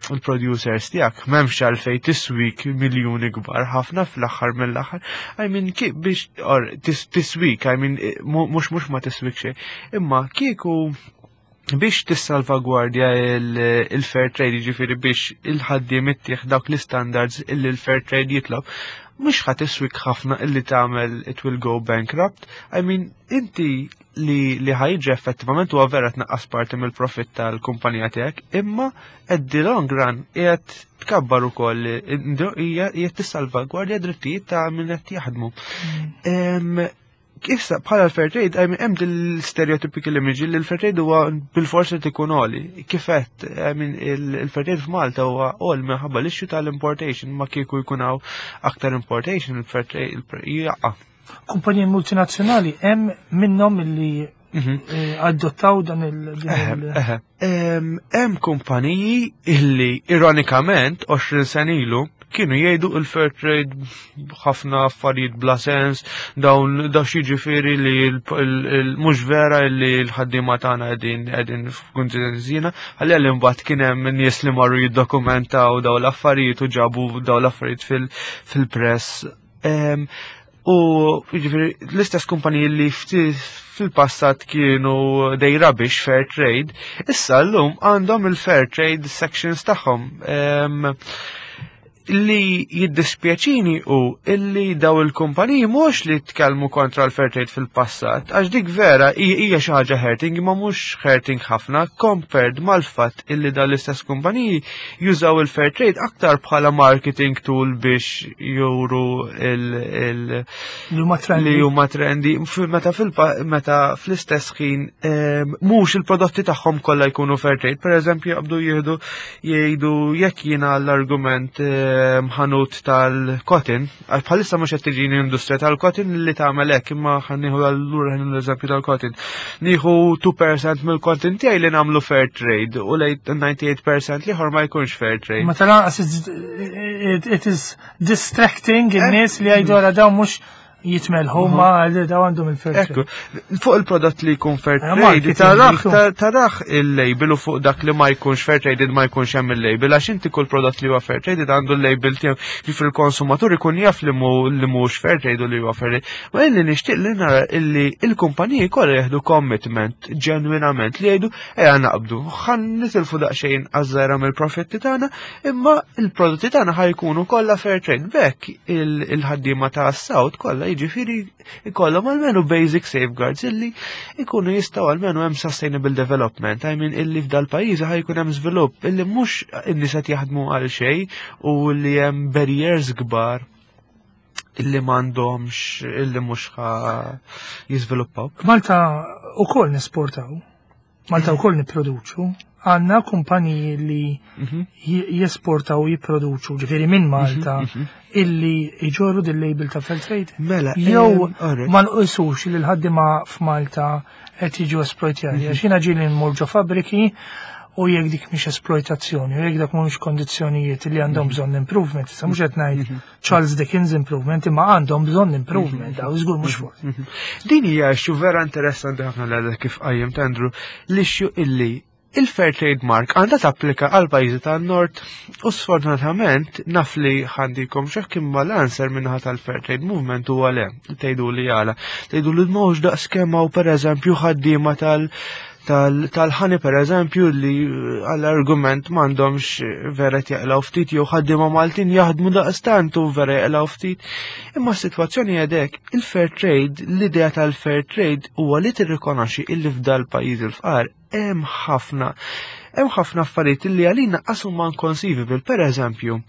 il-producers tiegħek m'hemmx għalfejn tiswik miljuni kbar ħafna fl-aħħar mill-aħħar. I mean, biex or tiswik, I mean, mhux mhux ma tiswik xejn. Imma kieku biex tissalvagwardja il-fair trade, ġifieri biex il-ħaddiem ittieħ dawk l-standards illi l-fair trade jitlob, mhux ħa tiswik ħafna illi tagħmel it will go bankrupt. I mean, inti li li ħa jiġi effettivament huwa vera tnaqqas parti mill-profitt tal-kumpanija tiegħek, imma at the long run qiegħed tkabbar ukoll, hija qiegħed tissalvagwardja drittijiet ta' min qed jaħdmu. Mm. Issa bħala l-fair trade, I mean, hemm l-stereotypical image li l-fair trade huwa bil-forsi tikun għoli. Kifet, I mean, il-fair trade f'Malta huwa għoli minħabba l-issue tal-importation, ma kieku jkun hawn aktar importation, il-fair trade jaqa'. Kumpaniji multinazzjonali hemm minnhom illi mhm. eh, adottaw dan il- Hemm kumpaniji illi ironikament għoxrin sena ilu kienu jgħidu il-fair trade ħafna affarijiet bla sens, dawn da ġifieri li mhux vera li l-ħaddiema tagħna qegħdin qegħdin f'kundizzjoni, ħalli għal imbagħad kien hemm nies li marru jiddokumentaw dawn l-affarijiet u ġabu dawn l-affarijiet fil-press. U ġifieri l-istess kumpaniji li fil-passat kienu they rubbish fair trade, issa llum għandhom il-fair trade sections tagħhom. Li jiddispjaċini u illi daw il-kumpaniji mhux li tkellmu kontra l-fair trade fil-passat, għax dik vera hija xi ħaġa hurting, ma mhux hurting ħafna compared mal-fatt illi daw l-istess kumpaniji jużaw il-fair trade aktar bħala marketing tool biex juru il- li huma trendy, meta meta fl-istess ħin mhux il-prodotti tagħhom kollha jkunu fair trade. Per eżempju, jaqbdu jieħdu jgħidu, jekk jiena l-argument ħanut tal-cotton, għax bħalissa mhux qed tiġini industrija tal-cotton li tagħmel hekk, imma ħa nieħu allura l-eżempju tal-cotton. Nieħu two percent mill-cotton tiegħi li nagħmlu fair trade u lejn disgħa u disgħin fil-mija l-ieħor ma jkunx fair trade. Ma tal-anqas it it is distracting in-nies li jgħidu, "Ara, dawn mhux jitmelħu ma dawn għandhom il-fair Ekku, trade." Fuq il-prodott li jkun fair Eh, trade, marketing tarax li jkun. ta- tarax il-label u fuq dak li ma jkunx fair traded ma jkunx hemm il-label, għax inti kull prodott li huwa fair traded għandu l-label tiegħu, ġifieri il-konsumatur ikun jaf li mu li mhux fair trade u li huwa fair trade. Ma illi nixtieq li nara illi il-kumpaniji kollha jieħdu commitment ġenwinament li jgħidu, "Ejja naqbdu, ħa nitilfu daqsxejn għażżera mill-profitti tagħna, imma il-prodotti tagħna ħa jkunu kollha fair trade." B'hekk il- il-ħaddiema ta' South kollha jiġifieri ikollhom almenu basic safeguards illi ikunu jistgħu almenu hemm sustainable development. I mean, illi f'dal pajjiż ħa jkun hemm żvilupp illi mhux in-nies qed jaħdmu għal xejn u li hemm barriers kbar illi m'għandhomx, illi mhux ħa jiżviluppaw. Malta ukoll nesportaw, Malta ukoll nipproduċu, għandna kumpaniji li Mhm. j- jesportaw, jipproduċu, ġifieri minn Malta, illi iġorru dil-label ta' fair trade. Mela, Jew em, alright. ma nqisux li l-ħaddima f'Malta qed jiġu esploitjati. Għax jiena ġieli nmur ġo fabbriki u jekk dik mhix esploitazzjoni, u jekk dak mhumiex kondizzjonijiet li għandhom bżonn improvement, issa mhux qed ngħid Charles Dickens improvement, imma għandhom bżonn improvement, daw żgur mhux forsi. Din hija issue vera interessanti ħafna l għadha kif qajjem Andrew, l-issue illi il-Fair Trade Mark għandha tapplika għal pajjiżi tan-Nord u sfortunatament naf li għandikom xekk, imma l-answer minnaħa tal-Fair Trade Movement huwa le. Tgħidu li għala. Tgħidu li mhux daqs kemm hawn, pereżempju, ħaddiema tal- tal- tal-ħani per eżempju li għall-argument m'għandhomx vera jaqlaw ftit, jew ħaddiema Maltin jaħdmu daqstant u vera jaqlaw ftit. Imma s-sitwazzjoni għedek, il-fair trade, l-idea tal-fair trade huwa li tirrikonoxxi illi f'dal pajjiż il-fqar hemm ħafna hemm ħafna affarijiet illi għalina qas huma inconceivable. Per eżempju,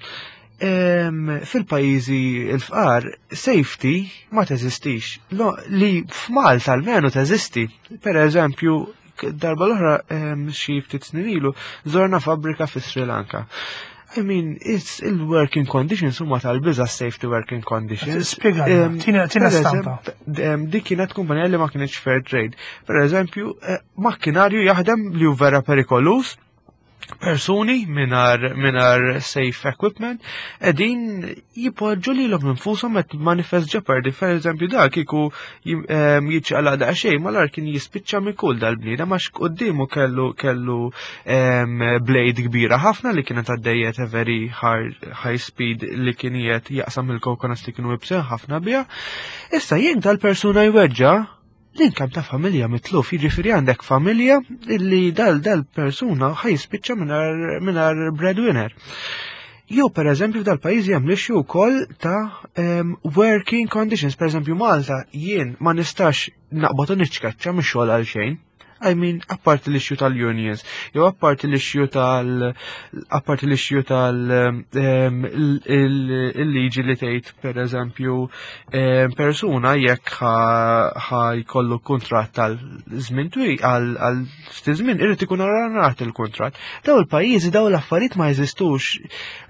em, fil-pajjiżi il-fqar, safety ma teżistix. Lo- Li f'Malta almenu teżisti. Per eżempju, darba l-oħra, em, xi ftit snin ilu, żorna fabbrika fi Sri Lanka. I mean, it's il-working conditions huma tal-biża, safety working conditions. Spjegalna, Em, tina- tina per stampa. eżemp- em, Dik kienet kumpanija li ma kienx fair trade. Per eżempju, eh, makkinarju jaħdem li hu vera perikolus, persuni mingħajr mingħajr safe equipment qegħdin jipoġġu lilhom infushom at manifest jeopardy. Per eżempju, dak kieku jim- em, jiċċaqlaq daqsxejn malar kien jispiċċa mikul dal-bniedem, għax quddiemu kellu kellu em, blade kbira ħafna li kienet għaddejjet a very hard, high speed, li kien qiegħed jaqsam il-coconuts li kienu ibsin ħafna biha. Issa jekk dal-persuna jweġġa', l-income ta' familja mitluf, jiġifieri għandek familja illi dal dal persuna ħa jispiċċa mingħajr mingħajr breadwinner. Jew per eżempju f'dal pajjiżi hemm l-issue wkoll ta' um, working conditions. Per eżempju, Malta jien ma nistax naqbad u niċċkaċċa mix-xogħol għal xejn. I mean, apparti l-issue tal-unions, jew apparti l-issue tal apparti l-issue tal em, il- il- il-liġi li tgħid, per eżempju, em, persuna jekk ħa ħa jkollu kuntratt tal żmien twil, għal għal ftit żmien, irid ikun arranat il-kuntratt. Daw il-pajjiżi daw l-affarijiet ma jeżistux.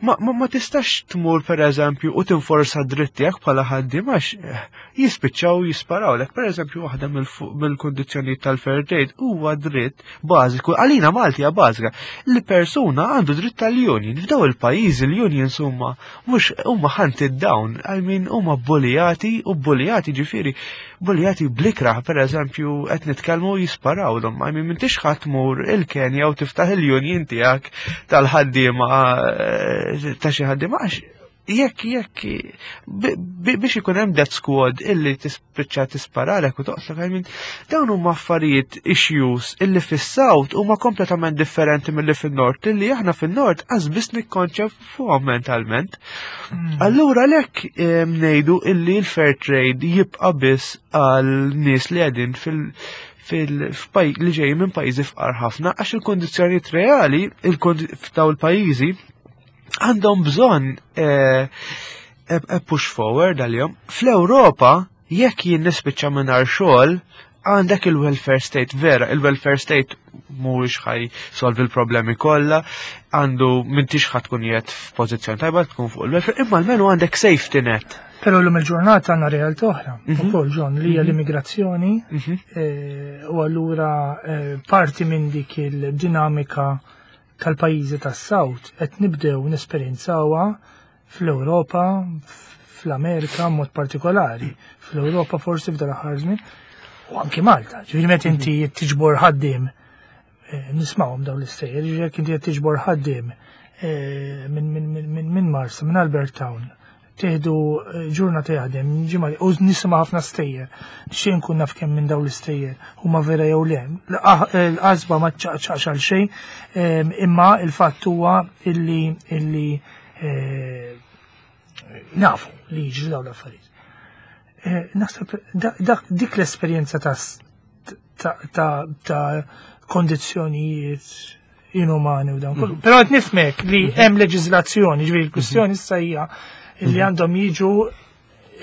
Ma, ma, ma tistax tmur, per eżempju, u tinforsa dritt tiegħek bħala ħaddiem għax eh, jispiċċaw jisparawlek. Per eżempju, waħda mill-fu- mill-kondizzjonijiet tal-fair trade huwa dritt bażiku, għalina Malti hija bażika, li persuna għandu dritt tal-union. F'daw il-pajjiżi l-unions huma mhux huma hunted down, I mean, huma bullijati u bullijati, ġifieri bullijati bl-ikrah, per eżempju qed nitkellmu jisparawlhom. I mean, m'intix ħa tmur il-Kenja u tiftaħ il-union tiegħek tal-ħaddiema, eh, ta' xi ħaddiema, għax jekk jekk bi- bi- biex ikun hemm death squad illi tispiċċa tisparalek u toqtlok. I mean, dawn huma affarijiet, issues illi fis-South huma kompletament differenti milli fin-Nord, illi aħna fin-Nord qas biss nikkonċefuhom mentalment. Allura lek ngħidu illi l-fair trade jibqa' biss għal nies li qegħdin fil fil f'paj li ġej minn pajjiżi fqar ħafna, għax il-kondizzjonijiet reali il-kondi- f'daw il-pajjiżi għandhom bżonn eh, a- a push forward għalihom. Fl-Ewropa, jekk jien nispiċċa mingħajr xogħol, Għandek il-welfare state, vera, il-welfare state mhuwiex ħa jsolvi l-problemi kollha, għandu m'intix ħa tkun qiegħed f'pożizzjoni tajba tkun fuq il-welfare, imma almenu għandek safety net. Però l-lum il-ġurnata għandna realtà oħra, Mhm. ukoll John, li hija l-immigrazzjoni Mhm. eh, u allura eh, parti minn dik il-dinamika tal-pajjiżi tas-South qed nibdew nesperjenzawha fl-Ewropa, fl-Amerika mod partikolari. Fl-Ewropa forsi f'dal aħħar żmien u anki Malta. Ġifieri meta inti tiġbor ħaddiem eh, nismawhom dawn l-istejjer, ġifieri jekk inti qed tiġbor ħaddiem eh, minn min, min, min, min Marsa, minn Albert Town, tieħdu eh, ġurnata jaħdem, ġimgħa u nisma' ħafna stejjer. Xejn nkun naf kemm minn dawn l-istejjer huma vera jew le. L-qasba ma ċaqċaqx għal xejn, em, imma il-fatt huwa illi illi eh, nafu li jiġri dawn l-affarijiet. Eh, Naħseb dak dik l-esperjenza ta' ta' ta' ta' kondizzjonijiet inumani u dan kollu. Però qed nifhmek li hemm leġiżlazzjoni, ġifieri l-kwistjoni issa hija li għandhom jiġu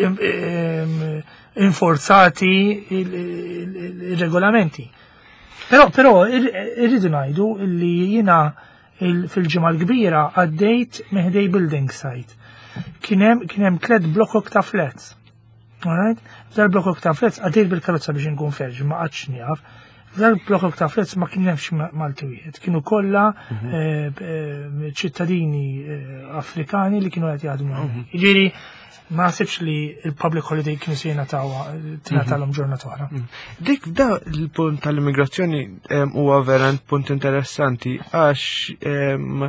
im- im- inforzati il-regolamenti. Però però ir- irridu ngħidu li jiena il- fil-ġimgħa l-kbira għaddejt minn ħdejn building site. Kien hemm kien hemm tliet blokok ta' flats. Alright? F'dal blokok ta' flats għaddejt bil-karozza biex nkun ferġ, ma qgħadx nieqaf. F'dal blokok ta' flats ma kien hemmx Malti wieħed. Kienu kollha eh, eh, ċittadini eh, Afrikani li kienu qed jaħdmu. hemmhekk. Jiġifieri ma naħsibx li il-public holiday kienu se jingħatawha tingħatalhom ġurnata oħra. Dik da il-punt tal-immigrazzjoni em, huwa verament punt interessanti għax em,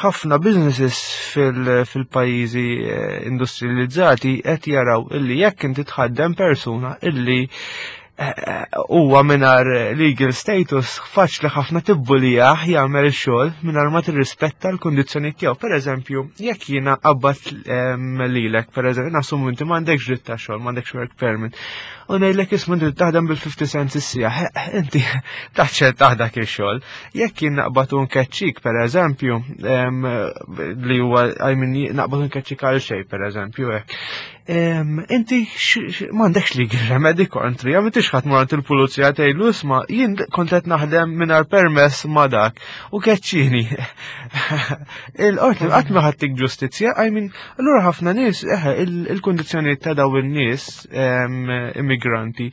ħafna businesses fil- fil-pajjiżi eh, industrializzati qed jaraw illi jekk inti tħaddem persuna illi eh, eh, huwa mingħajr legal status faċli ħafna tibbulijah jagħmel xogħol mingħajr ma tirrispetta l-kundizzjoni tiegħu. Per eżempju, jekk jiena qabbat em, lilek, per eżempju, nassumu inti m'għandekx dritt ta' xogħol, m'għandekx work permit. U ngħidlek, "Isma', inti taħdem bil-fifty cents is-siegħa," inti taċċetta dak ix-xogħol. Jekk jien naqbad u nkeċċik, per eżempju, em, li huwa, I mean, naqbad u nkeċċik għal xejn, per eżempju, hekk. Em, Inti x- x- m'għandekx legal remedy kontri, għam intix ħadd mort il-pulizija tgħidlu, "Isma', jien kont qed naħdem mingħajr permess ma' dak u keċċini." Il-qorti qatt ma ħa ttik ġustizzja, I mean, allura ħafna nies, eħe, il-kundizzjonijiet ta' daw in-nies em, immigranti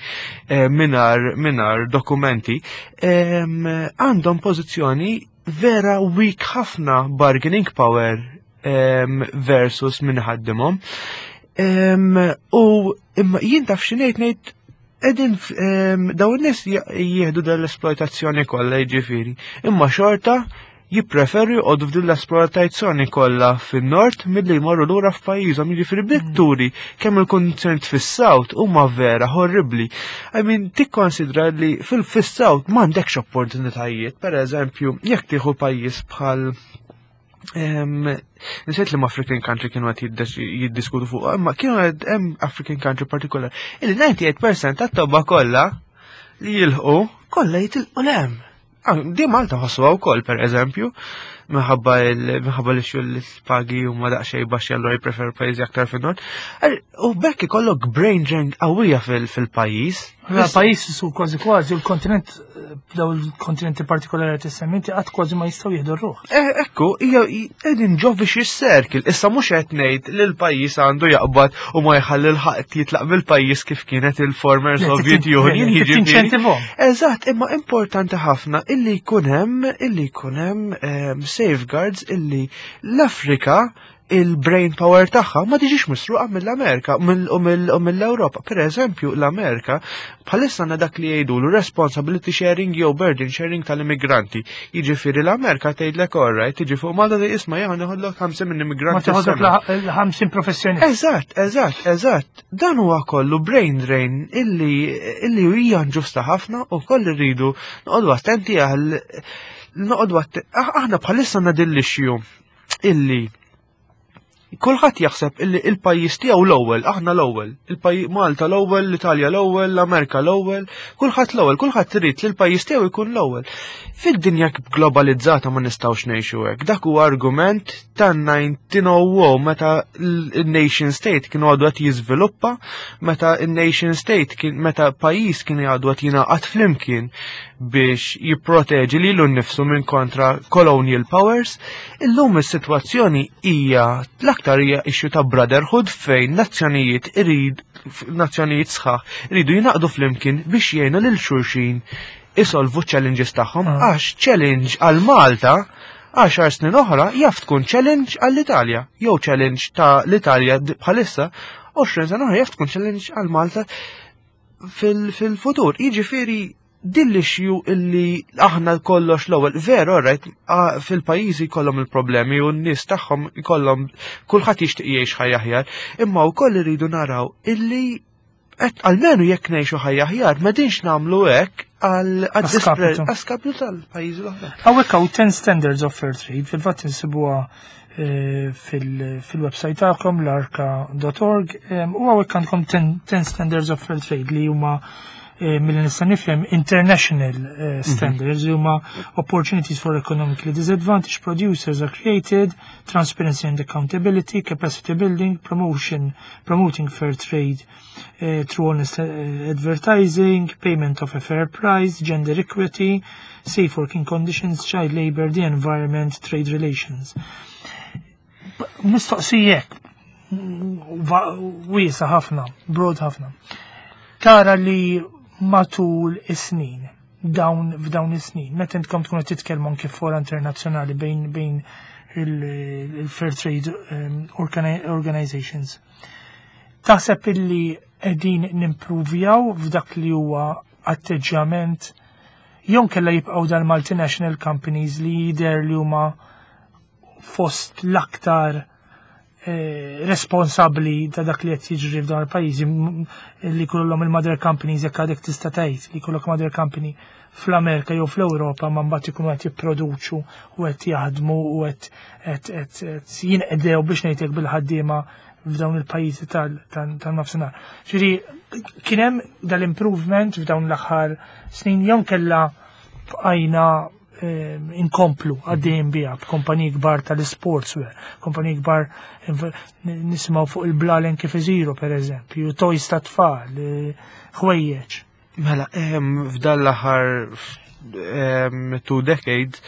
eh, mingħajr mingħajr dokumenti em, għandhom pożizzjoni vera weak ħafna, bargaining power em, versus min ħaddimhom. Em, U imma jien taf xi ngħid ngħid Edin daw in-nies jieħdu dell-esploitazzjoni kollha, jiġifieri, imma xorta jippreferu joqogħdu f'din l-esploitazzjoni kollha fin-nord milli jmorru lura f'pajjiżhom, jiġifieri bik turi kemm il-kundizzjonijiet fis-South huma vera horribbli. I mean, tikkonsidra li fil-South m'għandekx opportunitajiet, per eżempju, jekk tieħu pajjiż bħal Nsejt li African country kienu qed jiddiskutu fuq, imma kienu qed hemm African country partikolar illi disgħa u disgħin fil-mija tat-tobba kollha li jilħqu kollha jitilqu 'l hemm. Ah, di Malta ħossuha wkoll, per eżempju, minħabba minħabba li xul pagi huma daqsxejn baxxi, allura jippreferu pajjiżi aktar fin-nord. U bekk ikollok brain drain qawwija fil-pajjiż. Pajjiż su kważi kważi il-kontinent, daw il-kontinenti partikolari tissemminti qatt kważi ma jistgħu jieħdu r-ruħ. Eh, ekku, hija qegħdin ġo vicious circle. Issa mhux qed ngħid li l-pajjiż għandu jaqbad u ma jħalli l-ħadd jitlaq mill-pajjiż kif kienet il-former Soviet Union. Jiġifieri. Eżatt, imma importanti ħafna illi jkun hemm illi jkun hemm safeguards illi l-Afrika il-brain power tagħha ma tiġix misruqa mill-Amerika u mill-Ewropa. Per eżempju, l-Amerika bħalissa għandna dak li jgħidu responsibility sharing jew burden sharing tal-immigranti. Jiġifieri l-Amerika tgħidlek, "Alright," tiġi fuq Malta tgħid, "Isma', jien neħodlok ħamsin minn immigranti." Ma teħodlok l-ħamsin professjonisti. Eżatt, eżatt, eżatt. Dan huwa kollu brain drain illi illi hija ġusta ħafna u koll irridu noqogħdu attenti għal noqogħdu aħna bħalissa għandna din l-issue illi Kulħadd jaħseb illi il-pajjiż tiegħu l-ewwel, aħna l-ewwel, il-pajjiż Malta l-ewwel, l-Italja l-ewwel, l-Amerika l-ewwel, kulħadd l-ewwel, kulħadd irid li l-pajjiż tiegħu jkun l-ewwel. Fid-dinja globalizzata ma nistgħux ngħixu hekk. Dak huwa argument tan-elf disa' mija u meta l-nation state kienu għadu qed jiżviluppa, meta il-nation state kien, meta pajjiż kien għadu qed jingħaqad flimkien biex jipproteġi lilu nnifsu minn kontra colonial powers. Illum is-sitwazzjoni hija l-aktar hija issue ta' brotherhood fejn nazzjonijiet irid nazzjonijiet sħaħ iridu jingħaqdu flimkien biex jgħinu lil xulxin isolvu challenges tagħhom, Ah. għax challenge għal Malta għaxar snin oħra jaf tkun challenge għall-Italja, jew challenge ta' l-Italja d- bħalissa għoxrin sena oħra jaf tkun challenge għal Malta fil- fil-futur. Jiġifieri din l-issue illi aħna kollox l-ewwel, veru, right, fil-pajjiżi jkollhom il-problemi u n-nies tagħhom jkollhom, kulħadd jixtieq jgħix ħajja aħjar, imma wkoll iridu naraw illi qed almenu jekk ngħixu ħajja aħjar m'qegħdinx nagħmlu hekk għal Għaskapitu. għaskapitu tal-pajjiżi l-oħra. Hawnhekk hawn ten standards of fair trade, fil-fatt insibuha eh, fil- fil-website tagħkom l-arka punt org em, u hawnhekk għandkom ten standards of fair trade li huma eh, milli nista' nifhem international eh, standards li huma opportunities for economically disadvantaged producers are created, transparency and accountability, capacity building, promotion, promoting fair trade uh, through honest uh, advertising, payment of a fair price, gender equity, safe working conditions, child labor, the environment, trade relations. Mistoqsijek, wiesa ħafna, broad ħafna. Tara li matul is-snin, dawn f'dawn is-snin, meta intkom tkunu titkellmu anke fora internazzjonali bejn bejn il-Fair Trade um, Organizations, taħseb illi qegħdin nimpruvjaw f'dak li huwa atteġġjament jew kella jibqgħu dal-multinational companies li jidher li huma fost l-aktar eh, responsabbli ta' dak li qed jiġri f'dan il-pajjiżi li kollhom il-mother companies, jekk għadek tista' tgħid li jkollok mother company fl-Amerika jew fl-Ewropa, ma mbagħad ikunu qed jipproduċu u qed jaħdmu u qed qed jinqdew, biex ngħidlek, bil-ħaddiema f'dawn il-pajjiżi tan-nofsinhar. Ġifieri kien hemm dal-improvement f'dawn l-aħħar snin jew kella bqajna eh, inkomplu għaddejjem biha b'kumpaniji kbar tal-sportswear, kumpaniji kbar nisimgħu fuq il-blalen kif iżiru, pereżempju, toys ta' tfal, eh, ħwejjeġ. Mela, f'dan l-aħħar two decades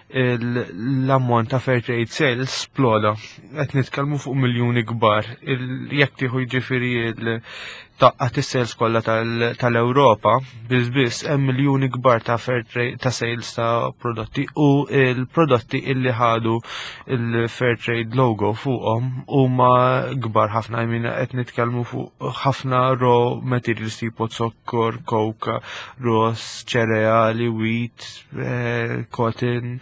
l-ammont ta' fair trade sales sploda. Qed nitkellmu fuq miljuni kbar. Jekk tieħu, jiġifieri, tgħaqqad is-sales kollha tal-Ewropa, biss biss hemm miljuni kbar ta' fair trade ta' sales ta' prodotti, u il-prodotti illi ħadu il-fair trade logo fuqhom huma kbar ħafna. I mean, qed nitkellmu fuq ħafna raw materials tipo zokkor, koka, ross, ċereali, wheat, eh, cotton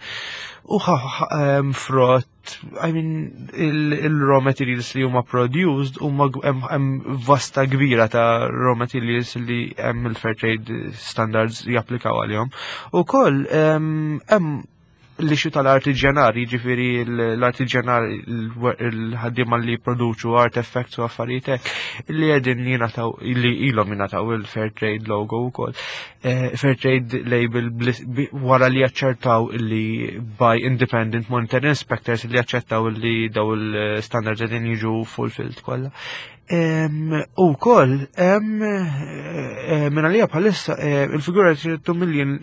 u frott. I mean, il-raw materials li huma produced huma hemm vasta kbira ta' raw materials li hemm il-fair trade standards japplikaw għalihom. Ukoll hemm l-issue tal-artiġjanari, ġifieri l-artiġjanari, il-ħaddiema li produċu artifacts u affarijiet hekk, li qegħdin jingħataw, li ilhom jingħataw il-Fair Trade logo wkoll. Eh, Fair Trade label wara li jaċċertaw li by independent monitoring inspectors li jaċċertaw li daw il-standards qegħdin jiġu fulfilled kollha. U koll, minn għalija bħalissa, eh, il-figura two million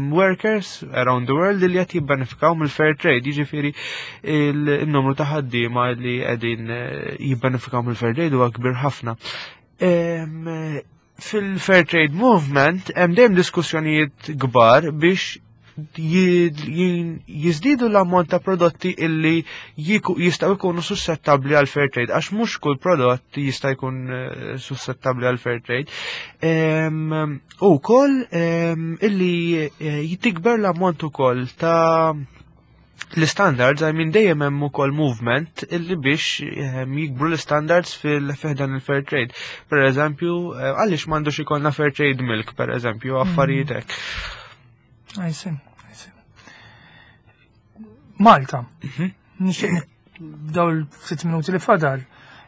workers around the world li qed jibbenefikaw mill-fair trade, jiġifieri il-numru ta' ħaddiema li qegħdin eh, jibbenefikaw mill-fair trade huwa kbir ħafna. Fil-fair trade movement hemm dejjem diskussjonijiet kbar biex jiżdiedu l-ammont ta' prodotti illi jistaw ikunu suscettabli għal fair trade, għax mhux kull prodott jista' jkun eh, suscettabli għal fair trade. U koll illi eh, jitikber l-ammont ukoll ta' l-standards, I mean, dejjem hemm ukoll movement illi biex jikbru l-standards fil-ħdan il-fair trade. Per eżempju, eh, għaliex m'għandux ikollna fair trade milk, per eżempju, affarijiet hekk. I see, I see. Malta. Mhm. Nixtieq Daw il-sitt minuti li fadal,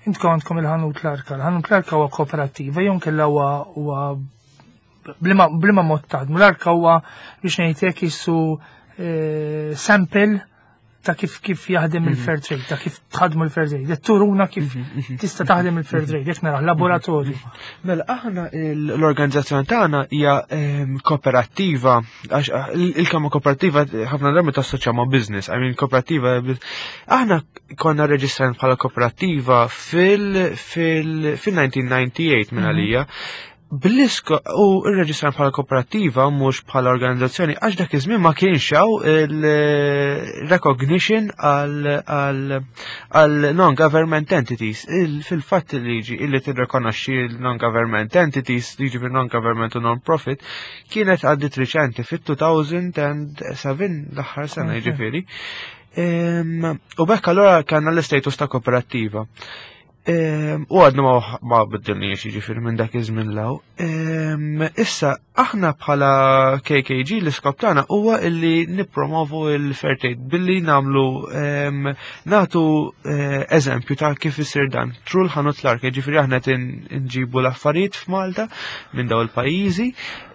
intkom għandkom il-ħanut l-Arka. Il-ħanut l-Arka huwa kooperativa, jew kella huwa huwa b'liema b'liema mod taħdmu. L-Arka huwa, biex ngħid jissu eh, sample ta' kif kif jaħdem il-fair trade, ta' kif tħadmu il-fair trade. Qed turuna kif tista' taħdem il-fair trade, jekk nara laboratorju. Mela, aħna l-organizzazzjoni tagħna hija ehm, kooperativa, għax ah, il-kelma kooperativa ħafna drabi tassoċja ma' business, I mean kooperativa, aħna konna reġistrati bħala kooperativa fil- fil- fil-elf disa' mija u disgħa u disgħin minn għalija. Bl-isko u rreġistran bħala kooperativa, mhux bħala organizzazzjoni, għax dak iż-żmien ma kienx hawn il-recognition għal għal non-government entities. Il- Fil-fatt il-liġi illi tirrikonoxxi l-non-government entities, liġi fil non-government u non-profit, kienet għaddit riċenti fit-elfejn u seba', l-aħħar sena, Ok. jiġifieri. Em, U bekk allura kellna l-istatus ta' kooperativa. Em, U għadna ma ma biddilniex, jiġifieri, minn dak iż-żmien 'l hawn. Em, Issa aħna bħala K K G l-iskop tagħna huwa illi nippromovu il-fair trade billi nagħmlu em, nagħtu eh, eżempju ta' kif isir dan. Through l-ħanut l-Arka, jiġifieri aħna qed nġibu l-affarijiet f'Malta minn dawn il-pajjiżi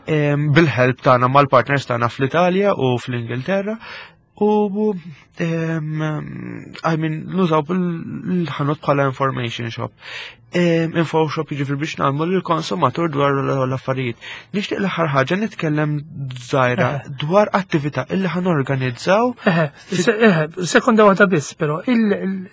em, bil-help tagħna mal-partners tagħna fl-Italja u fl-Ingilterra. U um, I mean, nużaw il-ħanut bħala information shop. Um, info shop, jiġifieri biex nagħmlu lill-konsumatur dwar l-affarijiet. Nixtieq l-aħħar ħaġa nitkellem żgħira dwar attività illi ħa norganizzaw. Eħe, se- eħe, sekonda waħda biss, però il- il-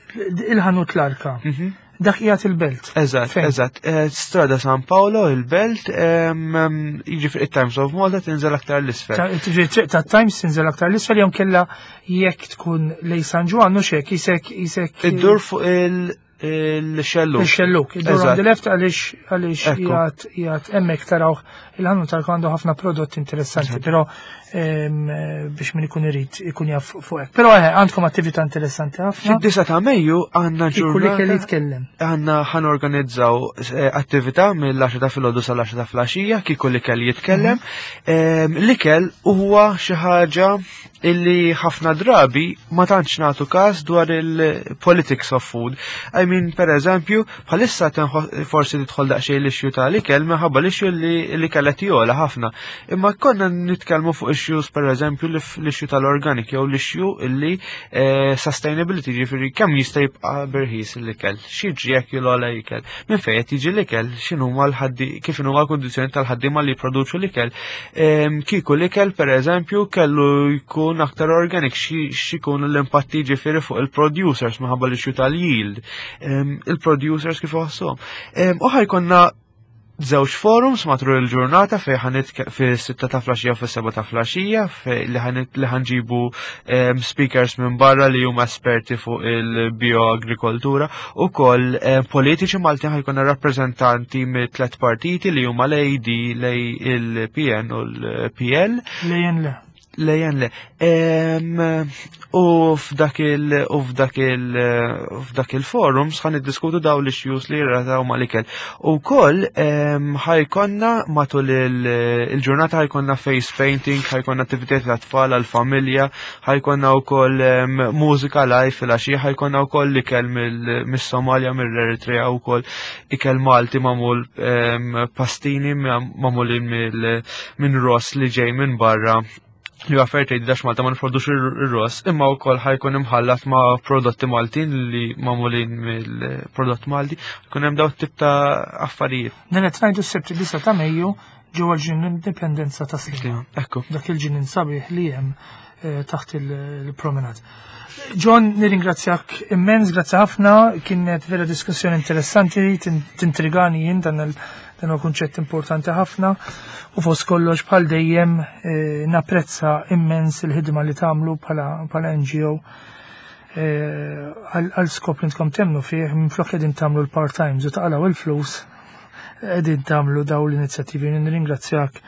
il-ħanut l-Arka, Mhm. dak qiegħed il-Belt. Eżatt, Fejn? eżatt. Eh, Strada San Paolo, il-Belt, em, em, jiġifieri it-Times of Malta tinżel aktar l-isfel. Ta' tiġi triq ta' Times tinżel aktar l-isfel, jew kella jekk tkun lejn San Ġwann u xek, isek isek Iddur fuq il- il-xelluk. Il-xelluk, iddur on Eżatt. the left, għaliex għaliex Ekku. qiegħed qiegħed hemmhekk tarawh il-ħanut tal għandu ħafna prodotti interessanti, però em, eh, biex min ikun irid ikun jaf fuq hekk. Però eħe, għandkom attività interessanti ħafna. Fid-disa ta' Mejju għandna Kieku li kelli ġurnata. jitkellem. Għandna ħa norganizzaw eh, attività mill-għaxra ta' filgħodu sal-għaxra ta' filgħaxija, kieku l-ikel jitkellem. Em, L-ikel huwa xi ħaġa illi ħafna drabi ma tantx nagħtu każ dwar il-politics of food. I mean, per eżempju, bħalissa tenħo- forsi tidħol daqsxejn l-issue tal-ikel minħabba l-issue li l-ikel qed jogħla ħafna. Imma konna nitkellmu fuq issues, per eżempju l-issue tal-organic jew l-issue illi eh, sustainability, ġifieri kemm jista' jibqa' b'irħis l-ikel, x'jiġri jekk jogħla l-ikel, minn fejn qed jiġi l-ikel, x'inhuma l-ħaddi, kif inhuma l-kundizzjoni tal-ħaddiema li jipproduċu l-ikel. Em, Kieku l-ikel, per eżempju, kellu jkun aktar organic, xi- x'ikunu l-impatti, ġifieri, fuq il-producers minħabba l-issue tal-yield. Em, Il-producers kif iħossuhom. Em, U ħa jkollna żewġ forums matul il-ġurnata fej ħa nitke fis-sitta ta' filgħaxija u fis-seba ta' filgħaxija, fej li ħa li ħa nġibu em, speakers minn barra li huma esperti fuq il-bioagrikoltura u koll em, politiċi Maltin. Ħa jkollna rappreżentanti mit tlet partiti li huma l-A D, il-P N u l-P L. Lejn le. Lejn le. Em, U f'dak il u f'dak il f'dak il-forums ħa niddiskutu daw l-issues li jirrataw mal-ikel. U koll ħa jkollna matul il- il-ġurnata ħa jkollna face painting, ħa jkollna attivitajiet għat-tfal, għal-familja, ħa jkollna wkoll em, mużika live fil-għaxija, ħa jkollna wkoll ikel mill- mis-Somalia, mill-Eritrea, wkoll ikel Malti magħmul, em, pastini magħmulin mill- minn ross li ġej minn barra, li huwa fair trade għax Malta ma nipproduċu ir-ross, imma wkoll ħa jkun imħallat ma' prodotti Maltin li magħmulin mill-prodott Malti, jkun hemm daw tip ta' affarijiet. Dan qed ngħidu s-Sibt disa ta' Mejju ġewwa l-ġnien Indipendenza ta' Sliema. Ekku. Dak il-ġnien sabiħ li hemm eh, taħt il-promenade. John, nirringrazzjak immens, grazzi ħafna, kienet vera diskussjoni interessanti, tin- tintrigani jien dan il- dan huwa kunċett importanti ħafna u fost kollox, bħal dejjem, eh, napprezza immens il-ħidma li tagħmlu bħala bħala N G O eh, għal għal skop li intkom temnu fih. Minflok qegħdin tagħmlu l-part-times u taqalaw il-flus, qegħdin tagħmlu daw l-inizjattivi. Nirringrazzjak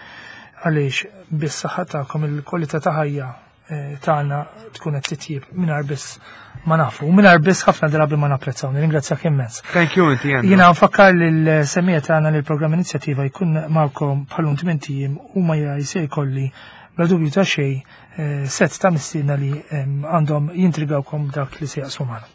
għaliex bis-saħħa tagħkom il-kwalità ta' ħajja eh, tagħna tkun qed titjib mingħajr biss ma nafu, u mingħajr biss ħafna drabi ma napprezzaw. Nirringrazzjak immens. Thank you inti, Andrew. Jiena nfakkar lil-semmiegħa tagħna li l-programm Inizjattiva jkun magħkom bħalun tmint ijiem u ma se jkolli bla dubju ta' xejn eh, set ta' mistiedna li em, għandhom jintrigawkom dak li se jaqsmu magħna.